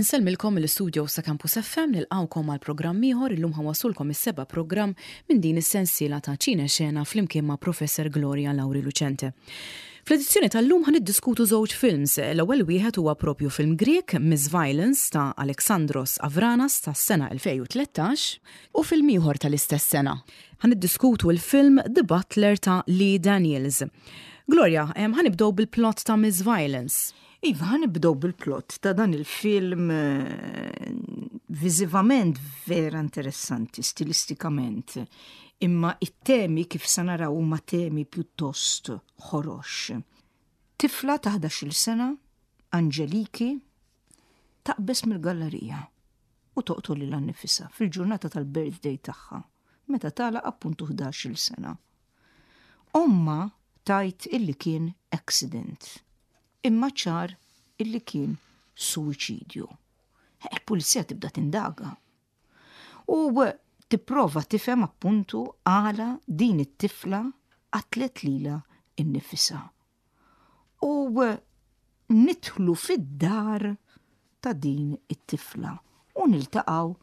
Insellmilkom mill-istudios ta' Campus FM nilqgħukom għal programm ieħor illum ħa nwasslulkom is-seba' programm minn din is-sensiela ta' Ċine Xena flimkien ma' Professor Gloria Lauri Lucente. Fl-edizzjoni tal-lum ħa niddiskutu żewġ films. L-ewwel wieħed huwa propju film Grieg, Miss Violence ta' Alexandros Avranas tas-sena 2013, u film ieħor tal-istess sena. Ħa niddiskutu l-film The Butler ta' Lee Daniels. Gloria, ħa nibdew bil-plot ta' Miss Violence. Iva, ħa nibdew bil-plot ta' dan il-film viżivament vera interessanti, stilistikament, imma it-temi kif se naraw huma temi pjuttost ħorox. Tifla ta' 11-il sena, Angeliki, taqbeż mill-gallerija u toqtol lilha nnifisha fil-ġurnata tal-birthday tagħha, meta tagħlaq appuntu 11-il sena. Ommha tgħid illi kien accident, imma ċar illi kien suwiċidju. Il-pulizija tibda tindaga. U tipprova tifhem appuntu għala din it-tifla qatlet lilha nnifisha. U nidħlu fid-dar ta' din it-tifla u niltaqgħu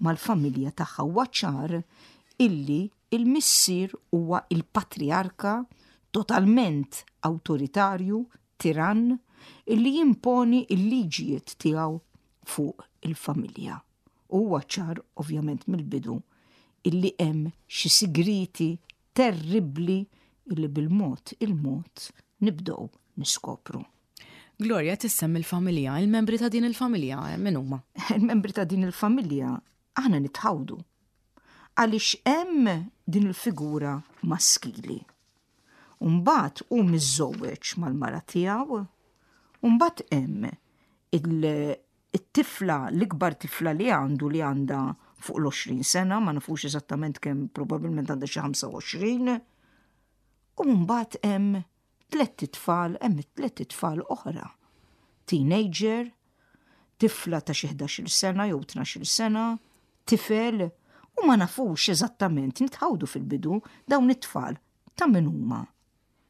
mal-familja tagħha. Huwa ċar illi il-missier huwa il-patriarka totalment awtoritarju, tirann, illi jimponi l-liġijiet tiegħu fuq il-familja. U huwa ċar ovvjament mill-bidu illi hemm xi sigrieti terribbli illi bil-mod il-mod nibdew niskopru. Gloria, tissemmi l-familja, il-membri ta' din il-familja min huma? Il-membri ta' din il-familja aħna nitħawdu. Għaliex hemm din il-figura maskili. Umbagħad hu miżżewweġ mal-mara tiegħu, umbagħad hemm it-tifla, l-ikbar tifla li għandu li għandha fuq l-20 sena, ma nafux eżattament kemm probabbilment għandha xi 25. U mbagħad hemm tlett itfal, hemm tlett itfal oħra. Teenager, tifla ta' xi 11-il sena jew 12-il sena, tifel, u ma nafux eżattament, nitħawdu fil-bidu dawn it-tfal ta' min huma.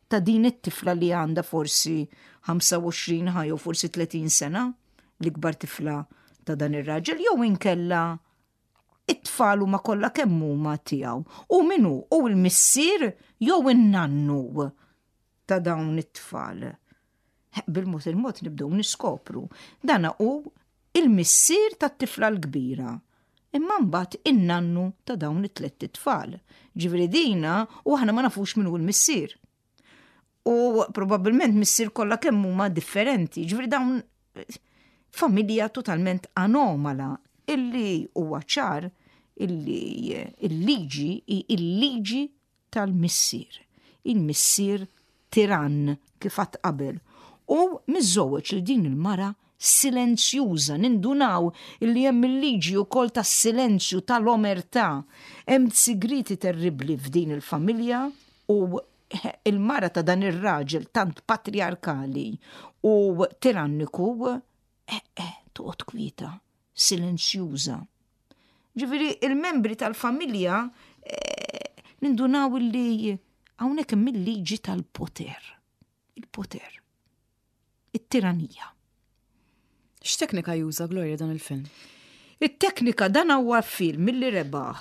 Ta' din it-tifla li għandha forsi 25 ħa jew forsi 30 sena, l-ikbar tifla ta' dan ir-raġel, jew inkella it-tfal huma kollha kemm huma tiegħu. U min hu? Hu l-missier jew in-nannu ta' dawn it-tfal. Bil-mod il-mod nibdew niskopru. Dana hu il-missier tat-tifla l-kbira. Imma mbagħad in-nannu ta' dawn it-tlett itfal. Ġifieri dina u aħna ma nafux min hu l-missier. U probabbilment missier kollha kemm huma differenti. Ġifieri dawn familja totalment anomala illi huwa ċar illi il-liġi il-liġi tal-missier. Il-missier tirann kif għadt qabel u miżżewweġ lil din il-mara silenzjuża, nindunaw illi hemm il-liġi wkoll tas-silenzju, tal-omertà. Hemm sigrieti terribbli f'din il-familja u il-mara ta' dan ir-raġel tant patriarkali u tiranniku eh, eh, toqgħod kwieta, silenzjuża. Ġifieri il-membri tal-familja eh, nindunaw illi hawnhekk hemm il-liġi tal-poter. Il-poter. It-tiranija. X'teknika juża Gloria dan il-film? It-teknika dan huwa film milli rebaħ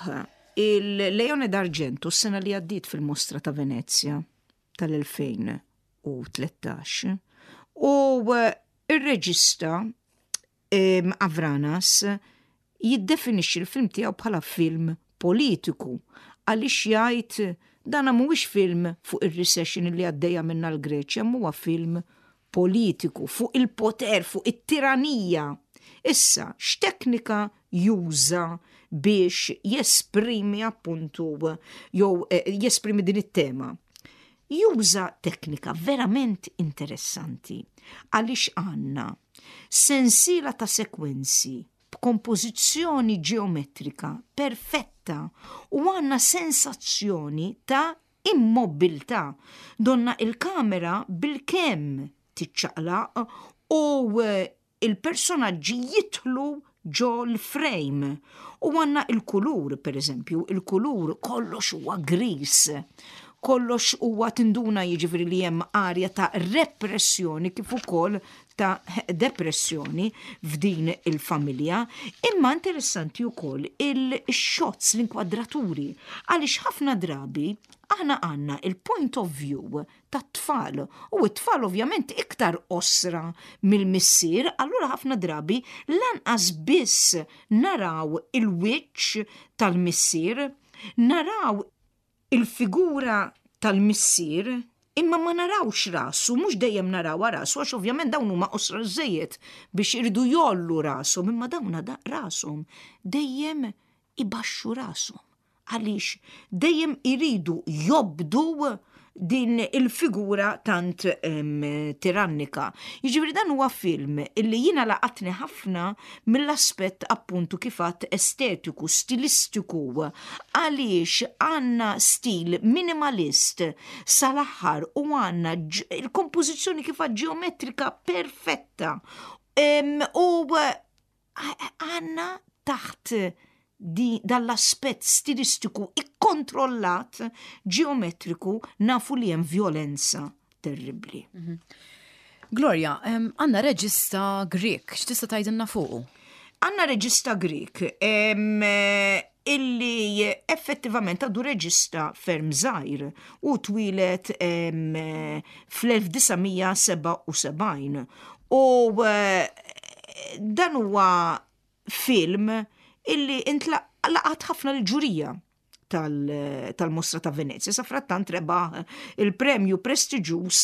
il-Leone d'Argento s-sena li għaddiet fil-Mostra ta' Venezia tal-2013 u eh, ir-reġista Avranas jiddefinixxi l-film tiegħu bħala film politiku għaliex jgħid dana mhuwiex film fuq ir-recession li għaddejja minnha l-Greċja, huwa film politiku fuq il-poter, fuq it-tiranija. Issa, x'teknika juża biex jesprimi appuntu jew eh, jesprimi din it-tema? Juża teknika verament interessanti għaliex għandna Sensiela ta' sekwenzi b'kompożizzjoni ġeometrika perfetta u għandna sensazzjoni ta' immobbiltà, donna il-kamera bilkemm tiċċaqlaq u il-personaġġi jidħlu ġo l-frame. U għandna il-kulur, per eżempju, il-kulur kollox huwa gris. Kollox huwa tinduna jiġifieri li hemm arja ta' repressjoni kif ukoll ta' depressjoni f'din il-familja. Imma interessanti wkoll il-shots, l-inkwadraturi, għaliex ħafna drabi aħna għandna il-point of view tat-tfal u t-tfal ovvjament iktar qosra mill-missier, allura ħafna drabi lanqas biss naraw il-wiċċ tal-missier, naraw il-figura tal-missier imma ma narawx rasu, mhux dejjem narawha rasu għax ovvjament dawn huma qosra żejjed biex iridu jgħollu rashom, imma dawn rashom dejjem ibaxxu rashom. Għaliex dejjem iridu jobdu din il-figura tant tirannika. Jiġifieri dan huwa film illi jiena laqatni ħafna mill-aspett appuntu kif għadt estetiku, stilistiku, għaliex għandna stil minimalist sal-aħħar u għandna il-kompożizzjoni kif għadt ġeometrika perfetta. U għandna taħt dan l-aspett stilistiku ikkontrollat ġeometriku nafu li hemm vjolenza terribbli. Mhm. Gloria, għandna reġista Grek, x'tista' tgħidilna fuqu? Għandna reġista Grek illi effettivament għadu reġista ferm żgħir u twilet fl-1977 u eh, dan huwa film illi intlaqat ħafna l-ġurija tal-Mostra ta' Venezia. Sa frattant rebaħ il-premju prestiġjuż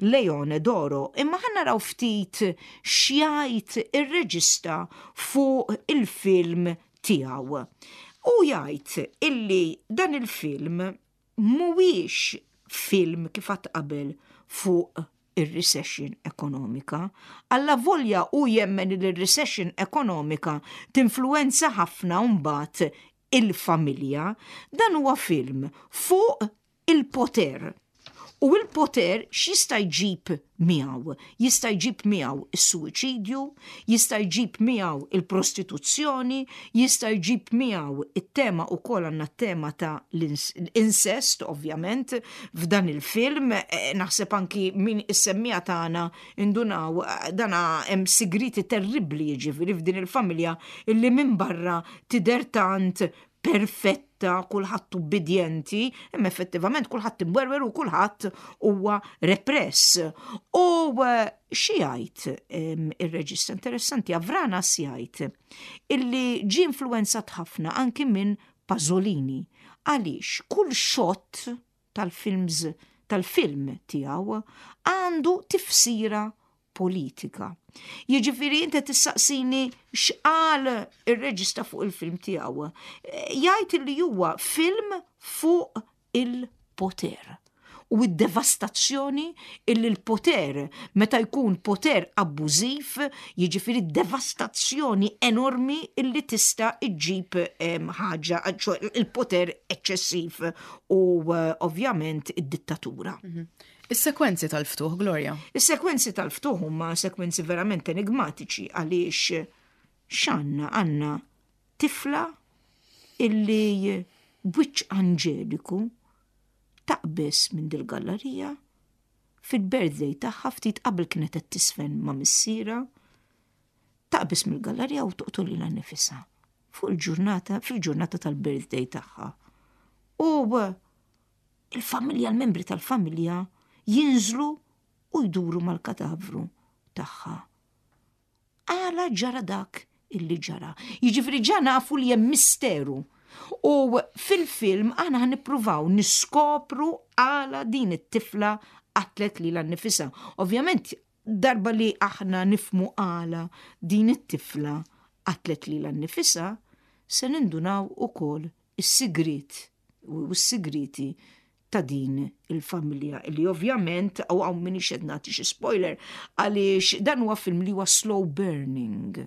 Leone d'Oro. Imma ħa naraw ftit x'jgħid ir-reġista fuq il-film tiegħu. U jgħid illi dan il-film mhuwiex film kif għadt qabel fuq ir-recession ekonomika. Allavolja hu jemmen li r-recession ekonomika tinfluwenza ħafna mbagħad il-familja, dan huwa film fuq il-poter. U il-poter x'jista' jġib miegħu? Jista' jġib miegħu is-suwiċidju, jista' jġib miegħu il-prostituzzjoni, jista' jġib miegħu it-tema ukoll għandna t-tema ta' l-incest ovvjament f'dan il-film, eh, naħseb anki min is-semmija tagħna indunaw eh, dana hemm sigriti terribbli jiġifieri f'din il-familja illi minn barra tidher tant perfetta, kulħadd ubbidjenti, imma effettivament kulħadd imwerwer u kulħadd huwa repress. U eh, xi jgħid ir-reġista interessanti Avranas jgħid illi ġie influenzat ħafna anki minn Pasolini għaliex kull xott tal-films tal-film tiegħu għandu tifsira politika. Jiġifieri inti tissaqsini x'qal ir-reġista fuq il-film tiegħu. Jgħid li huwa film fuq il-poter u d-devastazzjoni illi l-poter meta jkun poter abbużiv, jiġifieri devastazzjoni enormi illi tista' iġġib ħaġa, il-poter eċċessiv u eh, ovvjament id-dittatura. Mhm. Is-sekwenzi tal-ftuħ, Gloria. Is-sekwenzi tal-ftuħ huma sekwenzi verament enigmatiċi għaliex x'għandna għandna tifla illi b'wiċċ anġeliku taqbeż minn dil-gallerija fil-birthday tagħha ftit qabel kienet qed tisfen ma' missierha taqbeż mill-gallerija u toqtol lilha nnifisha fuq il-ġurnata fil-ġurnata tal-birthday tagħha. U il-familja, l-membri tal-familja jinżlu u jduru mal-katavru tagħha. Għala ġara dak illi ġara. Jiġifieri ġa nafu li hemm misteru. U fil-film aħna ħa nippruvaw niskopru għala din it-tifla qatlet lilha nnifisha. Ovvjament darba li aħna nifmu għala din it-tifla qatlet lilha nnifisha, se nindunaw ukoll is-sigriet u s-sigrieti ta' din il-familja li ovvjament u hawn minix qed nagħti xi spoiler għaliex dan huwa film li huwa slow burning.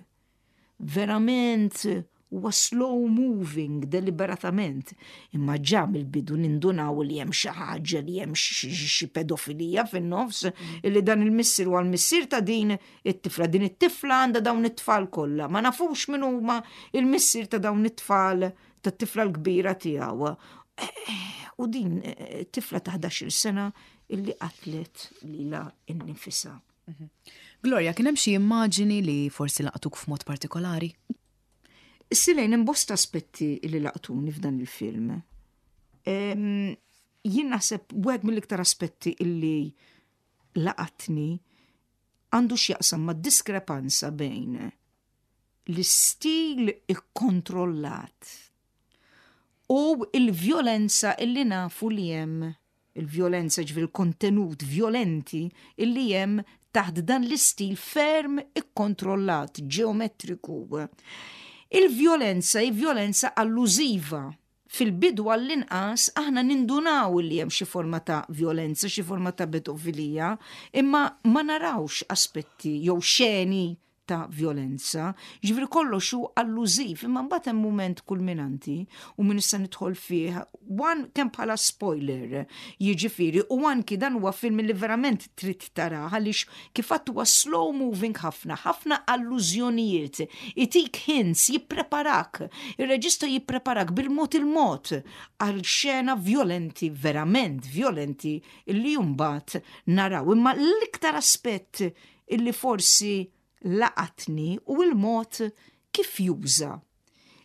Verament huwa slow moving deliberatament. Imma ġa mill-bidu nindunaw li hemm xi ħaġa li hemm xi pedofilija fin-nofs illi dan il-missier huwa l-missier ta' din it-tifla. Din it-tifla għandha dawn it-tfal kollha. Ma nafux min huma il-missier ta' dawn it-tfal tat-tifla l-kbira tiegħu. U din eh, tifla ta' 11 sena illi qatlet lila innifisha. Mhm. Gloria, kien hemm xi immaġini li forsi laqtuk f'mod partikolari? Silejn hemm bosta aspetti li laqtuni f'dan il-film. Jien naħseb wieħed mill-iktar aspetti illi laqatni għandu x'jaqsam ma' diskrepanza bejn l-istil ikkontrollat u il-vjolenza illi nafu li hemm il-vjolenza ġifieri l-kontenut vjolenti illi hemm taħt dan l-istil ferm ikkontrollat, ġeometriku. Il-vjolenza hi vjolenza allużiva. Fil-bidu għall-inqas aħna nindunaw li hemm xi forma ta' vjolenza, xi forma ta' pedofilija, imma ma narawx aspetti jew xeni ta' vjolenza. Ġifieri kollox hu allużiv, imma mbagħad hemm mument kulminanti u min issa nidħol fih, one kemm bħala spoiler, jiġifieri u anki dan huwa film li verament trid tarah għaliex kif għadt huwa slow moving ħafna, ħafna allużjonijiet, itik hints, jippreparak, ir-reġista jippreparak bil-mod il-mod għal xena vjolenti, verament vjolenti li mbagħad naraw. Imma l-iktar aspett illi forsi laqatni hu l-mod kif juża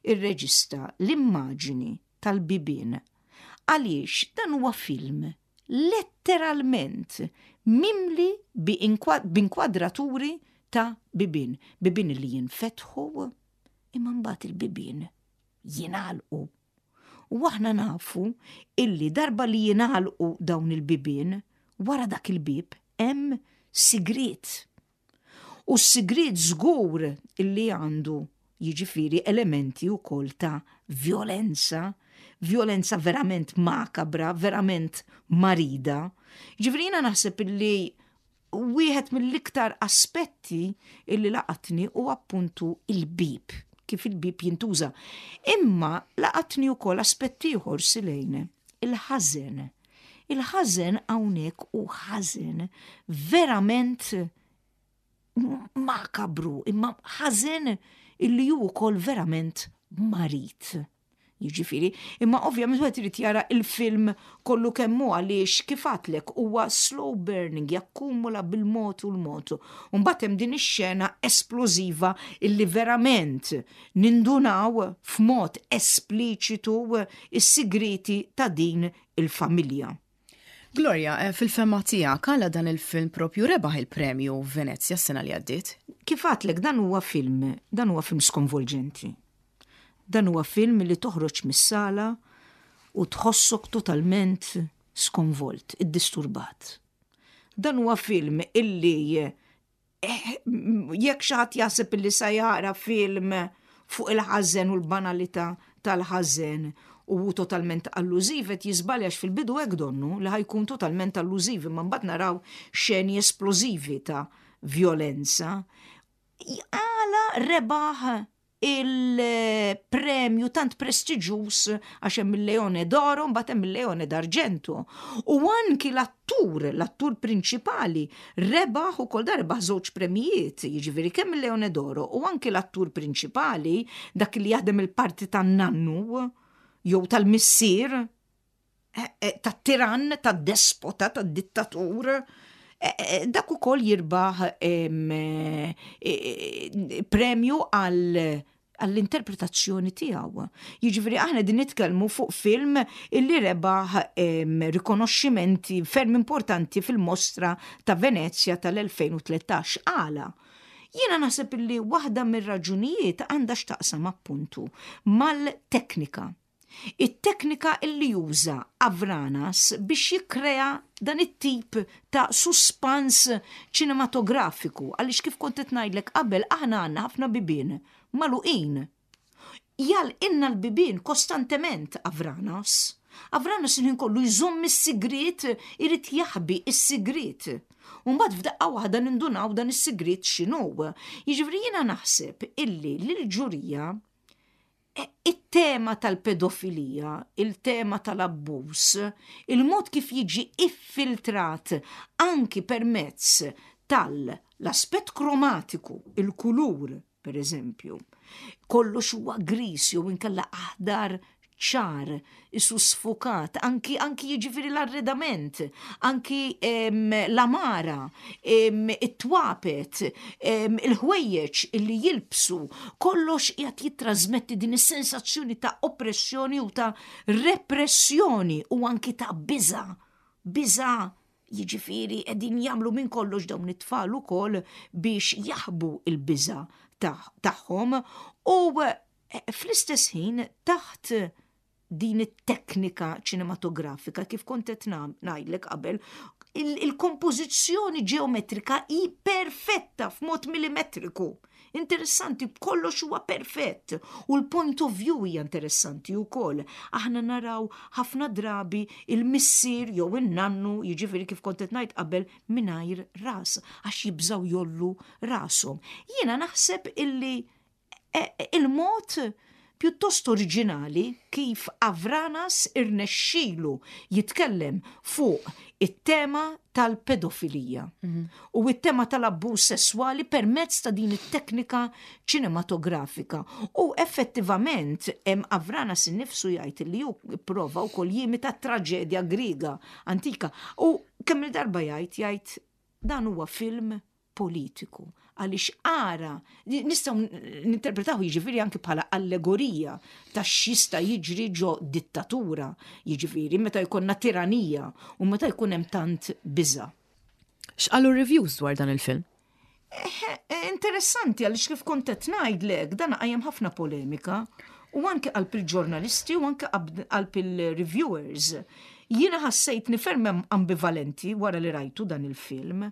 r-reġista l-immaġini tal-bibien għaliex dan huwa film letteralment mimli b'inkwadraturi ta' bibien, bibien li jinfetħu imma mbagħad il-bibien jingħalqu. U aħna nafu illi darba li jingħalqu dawn il-bibien, wara dak il-bieb hemm sigriet. U s-sigriet żgur illi għandu jiġifieri elementi wkoll ta' vjolenza, vjolenza verament makabra, verament marida. Ġifieri jiena naħseb illi wieħed mill-iktar aspetti illi laqatni hu appuntu il-bieb, kif il-bieb jintuża. Imma laqatni wkoll aspett ieħor Silejne, il-ħażen. Il-ħażen hawnhekk hu ħażen verament makabru, imma ħażen illi hu wkoll verament marid. Jiġifieri, imma ovvjament wieħed irid jara il-film kollu kemm hu għaliex kif għadtlek huwa slow burning, jakkumula bil-mod u l-mod. U mbagħad hemm din ix-xena esplożiva illi verament nindunaw f'mod espliċitu s-sigrieti ta' din il-familja. Gloria, eh, fil-fehma tiegħek għala dan il-film propju rebaħ il-premju Venezja s-sena li għaddiet? Kif għadtlek dan huwa film, dan huwa film skonvolġenti. Dan huwa film li toħroġ mis-sala u tħossok totalment skonvolt, iddisturbat. Dan huwa film illi eh, jekk xi ħadd jaħseb illi sa jara film fuq il-ħażen u l-banalità tal-ħażen u hu totalment allużiv qed jiżbalja għax fil-bidu hekk donnu li ħajkun totalment allużiv imma mbagħad naraw xeni esplożivi ta' vjolenza. Għala rebaħ il-premju tant prestiġjuż għax hemm il-Leone d'Oro mbagħad hemm il-Leone d'Argento. U anki l-attur, l-attur prinċipali, rebaħ ukoll da rebaħ żewġ premijiet, jiġifieri kemm il-Leone d'Oro u anki l-attur prinċipali, dak li jaħdem il-parti tan-nannu jew tal-missier, eh, eh, tat-tirann, tad-despota, tad-dittatur, eh, dak ukoll jirbaħ premju għal għall-interpretazzjoni tiegħu. Jiġifieri aħna din nitkellmu fuq film illi rebaħ rikonoxximenti ferm importanti fil-Mostra ta' Venezja tal-2013. Għala? Jiena naħseb illi waħda mir-raġunijiet għandha x'taqsam appuntu mal-teknika. It-teknika illi juża Avranas biex jikkrea dan it-tip ta' suspans ċinematografiku għaliex kif kont qed ngħidlek qabel aħna għandna ħafna bibien magħluqin. Jagħlqilna l-bibien kostantement Avranas. Avranas il-ħin kollu jżomm is-sigriet, irid jaħbi s-sigriet. U mbagħad f'daqqa waħda nindunaw dan is-sigriet x'inhu. Jiġifieri jiena naħseb illi lill-ġurija It-tema tal-pedofilija, il-tema tal-abbuż, il-mod kif jiġi iffiltrat anki permezz tal-aspett kromatiku, il-kulur, per eżempju, kollox huwa griż jew inkella aħdar ċar, isu sfukat, anki anki jiġifieri l-arredament, anki l-amara, it-twapet, il-ħwejjeġ illi jilbsu, kollox qiegħed jittrażmetti din is-sensazzjoni ta' oppressjoni u ta' repressjoni u anki ta' biża'. Biża' jiġifieri qegħdin jagħmlu minn kollox dawn it-tfal ukoll biex jaħbu l-biża' tagħhom u fl-istess ħin taħt din it-teknika ċinematografika kif kont qed ngħidlek qabel, il-kompożizzjoni ġeometrika hi perfetta f'mod millimetriku. Interessanti, kollox huwa perfett u l-point of view hija interessanti wkoll. Aħna naraw ħafna drabi il-missier jew in-nannu, jiġifieri kif kont qed ngħid qabel, mingħajr ras għax jibżgħu jollu rashom. Jiena naħseb illi il-mod pjuttost oriġinali kif Avranas irnexxielu jitkellem fuq it-tema tal-pedofilija u it-tema tal-abbuż sesswali permezz ta' din it-teknika ċinematografika. U effettivament Avranas innifsu jgħid li hu pprova wkoll jimita t-traġedja Griega antika. U kemm il-darba jgħid jgħid dan huwa film politiku. Għaliex ara, nistgħu ninterpretaw jiġifieri anki bħala allegorija ta' x'jista' jiġri ġo dittatura, jiġifieri meta jkollna tiranija u meta jkun hemm tant biża'. X'qalu reviews dwar dan il-film? Interessanti għaliex kif kont qed ngħidlek dan qajjem ħafna polemika u anke qalb il-ġurnalisti u anke qalb il-reviewers. Jiena ħassejtni ferm ambivalenti wara li rajtu dan il-film,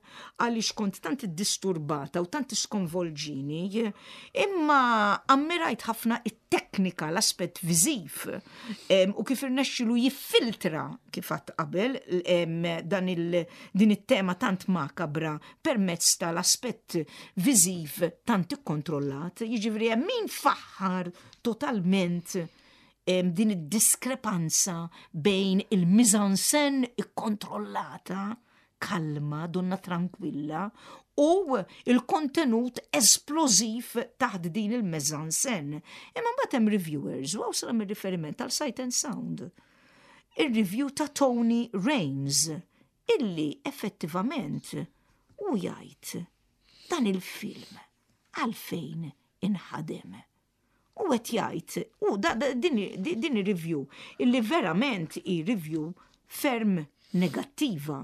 għaliex kont tant iddisturbata u tant iskonvolġini, imma ammirajt ħafna it-teknika, l-aspett viżiv, u kif irnexxilu jiffiltra, kif għadt qabel, dan il, din it-tema tant makabra permezz tal-aspett viżiv tant ikkontrollat. Jiġifieri hemm min faħħar totalment din id-diskrepanza bejn il-mise-en-scène ikkontrollata, kalma, donna tranquilla, u il-kontenut esplożiv taħt din il-mise-en-scène. Imma mbagħad hemm reviewers, u hawn se nagħmel riferiment għal Sight and Sound. Ir-review ta' Tony Rayns, illi effettivament hu jgħid dan il-film għalfejn inħadem. U qed jgħid, u din, din review illi verament hi review ferm negattiva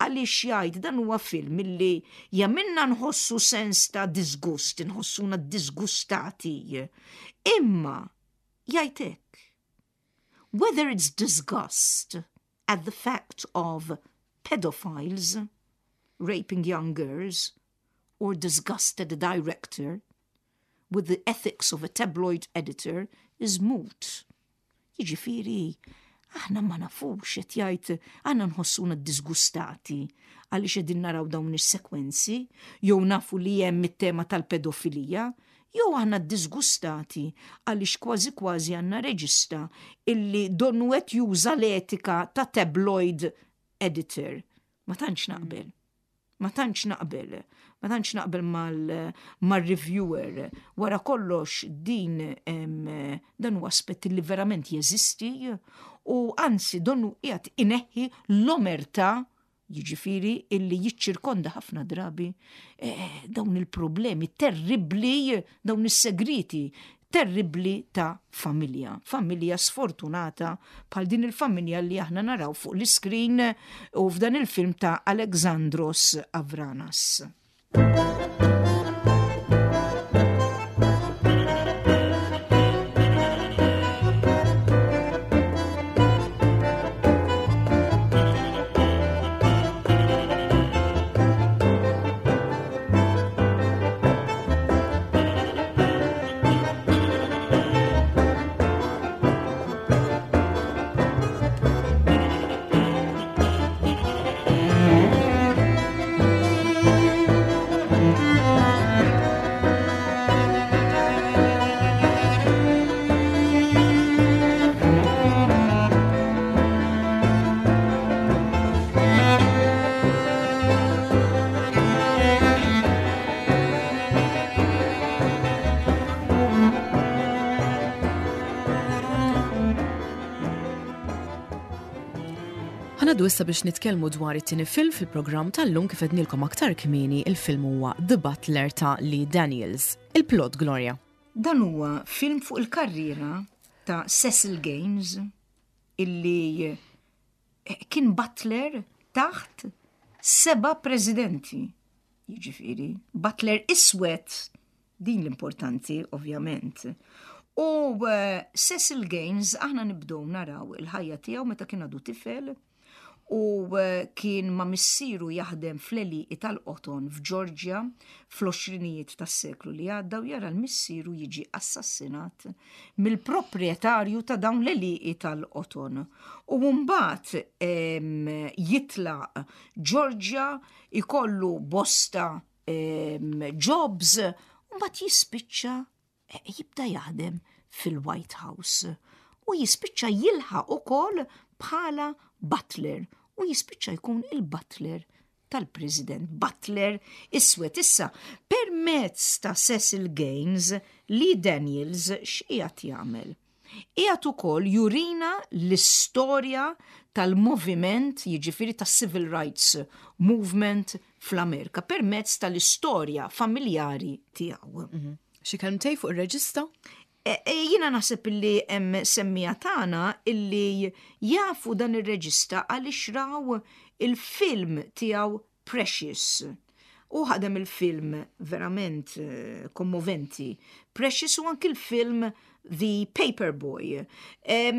għaliex jgħid dan huwa film illi jagħmilna nħossu sens ta' disgust, nħossuna disgustati. Imma jgħid hekk. Whether it's disgust at the fact of pedophiles raping young girls or disgust at the director with the ethics of a tabloid editor is moot. Jiġifieri, aħna ma nafux qed jgħid aħna nħossuna disgustati għaliex qegħdin naraw dawn is-sekwenzi jew nafu li hemm it-tema tal-pedofilija, jew aħna disgustati għaliex kważi kważi għandna reġista illi donnu qed juża l-etika ta' tabloid editor. Ma tantx naqbel. Ma tantx naqbel, ma tantx naqbel mal-reviewer. Wara kollox din dan huwa aspett li verament jeżisti u anzi donnu qiegħed ineħħi l-omerta jiġifieri illi jiċċirkonda ħafna drabi eh, dawn il-problemi terribbli, dawn is-segreti terribbli ta' familja. Familja sfortunata bħal din il-familja li aħna naraw fuq l-iskrin u f'dan il-film ta' Alexandros Avranas. Ħa ngħaddu issa biex nitkellmu dwar it-tieni film fil-programm tal-lum kif għednilkom aktar kmieni il-film huwa The Butler ta' Lee Daniels. Il-plot Gloria. Dan huwa film fuq il-karriera ta' Cecil Gaines illi eh, kien butler taħt seba' presidenti. Jiġifieri, butler iswed din l-importanti ovvjament. U eh, Cecil Gaines aħna nibdew naraw il-ħajja tiegħu meta kien għadu tifel u eh, kien ma' missieru jaħdem fl-għelieqi tal-qoton f'Georgia fl-għoxrinijiet tas-seklu li għadda u jara l-missieru jiġi assassinat mill-proprjetarju ta' dawn l-għelieqi tal-qoton. U mbagħad jitlaq Georgia ikollu bosta jobs u mbagħad jispiċċa eh, jibda jaħdem fil-White House u jispiċċa jilħaq ukoll bħala butler u jispiċċa jkun il-butler tal-President Butler iswed issa permezz ta' Cecil Gaines li Daniels x'qiegħed jagħmel. Qiegħed ukoll jurina l-istorja tal-moviment, jiġifieri tas-Civil Rights Movement fl-Amerika permezz tal-istorja familjari tiegħu. Mhm. Xi kelmtej fuq ir-reġista? E, e, jiena naħseb illi hemm semmija tagħna illi jafu dan ir-reġista għaliex raw il-film tiegħu Precious. U ħadem il-film verament eh, kommoventi. Precious u anki l-film The Paperboy. Eh,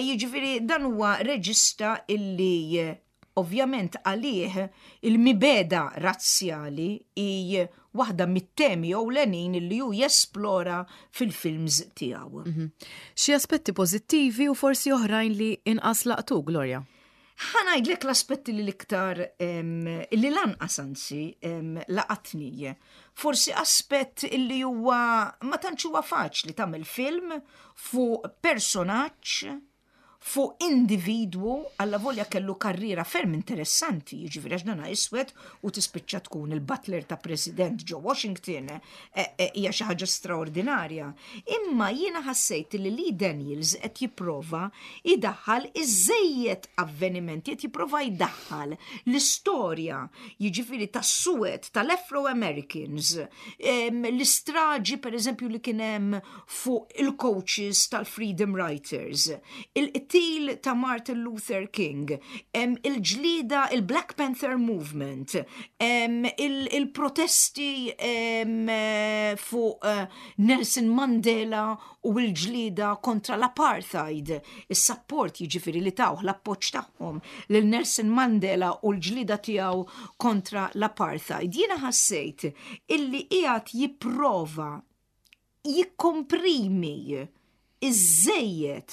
jiġifieri dan huwa reġista illi eh, ovvjament għalih il-mibeda razzjali hi waħda mit-temi ewlenin illi hu jesplora fil-films tiegħu. Mhm. Xi aspetti pożittivi u forsi oħrajn li inqas laqtu, Gloria? Ħa ngħidlek l-aspetti li l-iktar li lanqas anzi laqatni. Forsi aspett illi huwa ma tantx huwa faċli tagħmel film fuq personaġġ fuq individwu alla volja kellu karriera ferm interessanti, jiġifieri għax dana iswed u tispiċċa tkun il-butler ta' President ġo Washington, e, e, hija xi ħaġa straordinarja. Imma jiena ħassejt li Lee Daniels qed jipprova jdaħħal iżżejjed avvenimenti, qed jipprova jdaħħal l-istorja, jiġifieri tas-suwed tal-Afro-Americans, l-istraġi pereżempju li kien hemm fuq il-coaches tal-Freedom Writers, il-qtil ta' Martin Luther King, il-ġlida il-Black Panther Movement, il-protesti fuq eh, Nelson Mandela u l-ġlieda kontra l-apartheid, is-sapport jiġifieri li tawh l-appoġġ tagħhom lil Nelson Mandela u l-ġlieda tiegħu kontra l-apartheid. Jiena ħassejt illi qiegħed jipprova jikkomprimi iżżejjed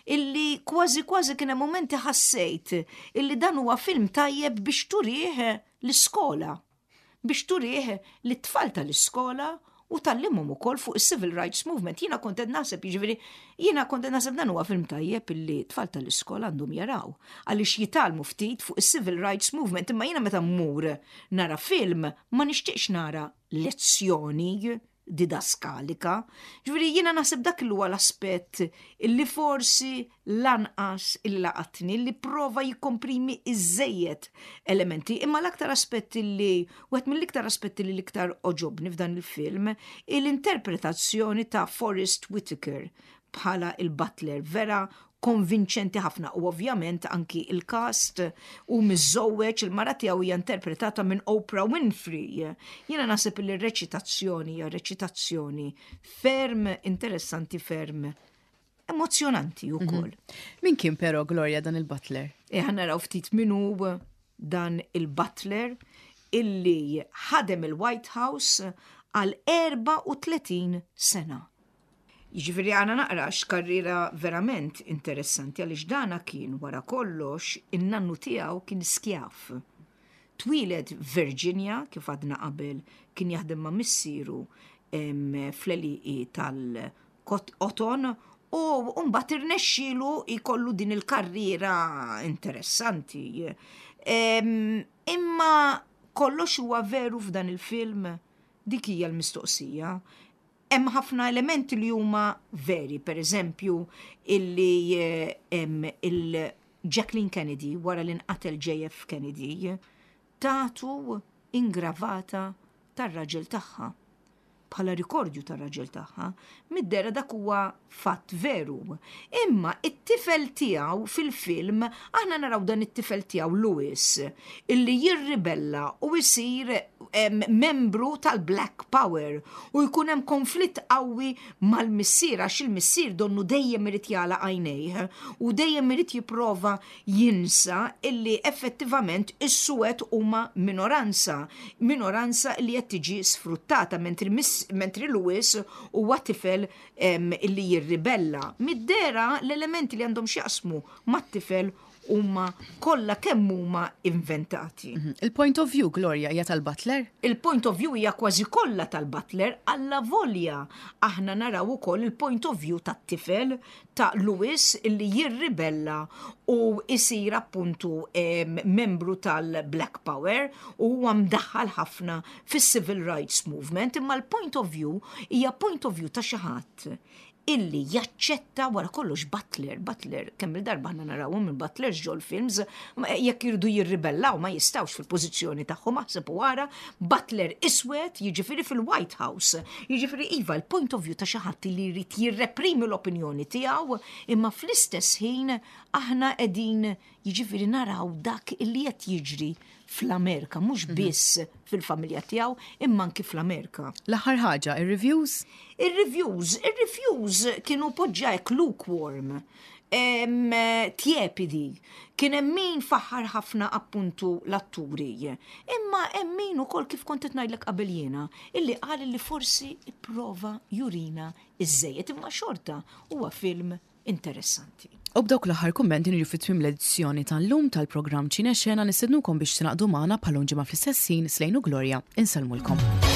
illi kważi kważi kien hemm mumenti ħassejt illi dan huwa film tajjeb biex turih l-iskola. Biex turih lit-tfal tal-iskola u tgħallimhom ukoll fuq is-Civil Rights Movement. Jiena kont qed naħseb, jiġifieri, jiena kont qed naħseb dan huwa film tajjeb illi tfal tal-iskola għandhom jaraw għaliex jitgħallmu ftit fuq is-Civil Rights Movement, imma jiena meta mmur nara film ma nixtieqx nara lezzjoni didaskalika. Ġifieri jiena naħseb dak li huwa l-aspett illi forsi lanqas illi laqatni li prova jikkomprimi iżżejjed elementi, imma l-aktar aspett illi wieħed mill-iktar aspetti li l-iktar oġobni f'dan il-film l-interpretazzjoni ta' Forrest Whitaker bħala il-butler vera konvinċenti ħafna u ovvjament anki il-cast u miżżewweġ il-mara tiegħu hija interpretata minn Oprah Winfrey. Jiena naħseb li r-reċitazzjoni hija reċitazzjoni ferm interessanti ferm emozjonanti mhm. ukoll. Min kien però Gloria dan il-Butler? E naraw ftit min hu dan il-Butler illi ħadem il-White House għal 34 sena. Jiġifieri għana naqra x'karriera verament interessanti għaliex dana kien wara kollox in-nannu tiegħu kien skjav. Twieled Virginia kif għadna qabel kien jaħdem ma' missieru fl-għelieqi tal-qoton u mbagħad irnexxielu jkollu din il-karriera interessanti. Imma kollox huwa veru f'dan il-film? Dik hija l-mistoqsija. Hemm ħafna elementi li huma veri, per eżempju, illi hemm il- Jacqueline Kennedy wara li nqatel JF Kennedy tatu ingravata tar-raġel tagħha bħala rikordju tar-raġel tagħha. Mid-dehra dak huwa fatt veru. Imma it-tifel tiegħu fil-film aħna naraw dan it-tifel tiegħu Louis illi jirribella u jsir membru tal-Black Power u jkun hemm konflitt qawwi mal-missier għax il-missier donnu dejjem irid jagħlaq għajnejh u dejjem irid jipprova jinsa illi effettivament is-suwed huma minoranza, minoranza li qed tiġi sfruttata mentri, mentri Lewis huwa tifel illi jirribella. Mid-dehra l-elementi li għandhom x'jaqsmu mat-tifel huma kollha kemm huma inventati. Mhm. Il-point of view, Gloria, hija tal-Butler? Il-point of view hija kważi kollha tal-Butler, alla volja aħna naraw ukoll il-point of view tat-tifel ta' Louis illi jirribella u jsir appuntu membru tal-Black Power u huwa mdaħħal ħafna fis-Civil Rights Movement, imma l-point of view hija point of view ta' xi ħadd illi jaċċetta wara kollox Butler, Butler, kemm il-darba ħna narawhom minn Butlers ġol films, jekk irdu jirribellaw ma jistawx fil-pożizzjoni tagħhom aħseb u wara, Butler iswed jiġifieri fil-White House. Jiġifieri iva l-point of view ta' xi ħadd li jrid jirreprimi l-opinjoni tiegħu, imma fl-istess ħin aħna qegħdin jiġifieri naraw dak li qed jiġri fl-Amerika, mhux mhm. biss fil-familja tiegħu, imma anki fl-Amerika. L-aħħar ħaġa, ir-reviews? Ir-reviews, ir-reviews kienu poġġa hekk lukewarm tjepidi. Kien hemm min faħħar ħafna appuntu l-atturi. Imma hemm min ukoll kif kont qed ngħidlek qabel jiena, illi qal li forsi ipprova jurina iżżejjed imma xorta huwa film interessanti. U b'dawk l-aħħar kummenti niġu fi tmiem l-edizzjoni tal-lum tal-programm Ċine Xena nistednukom biex tingħaqdu magħna bħal ġimgħa fl-istess ħin Slejn u Gloria insellmulkom.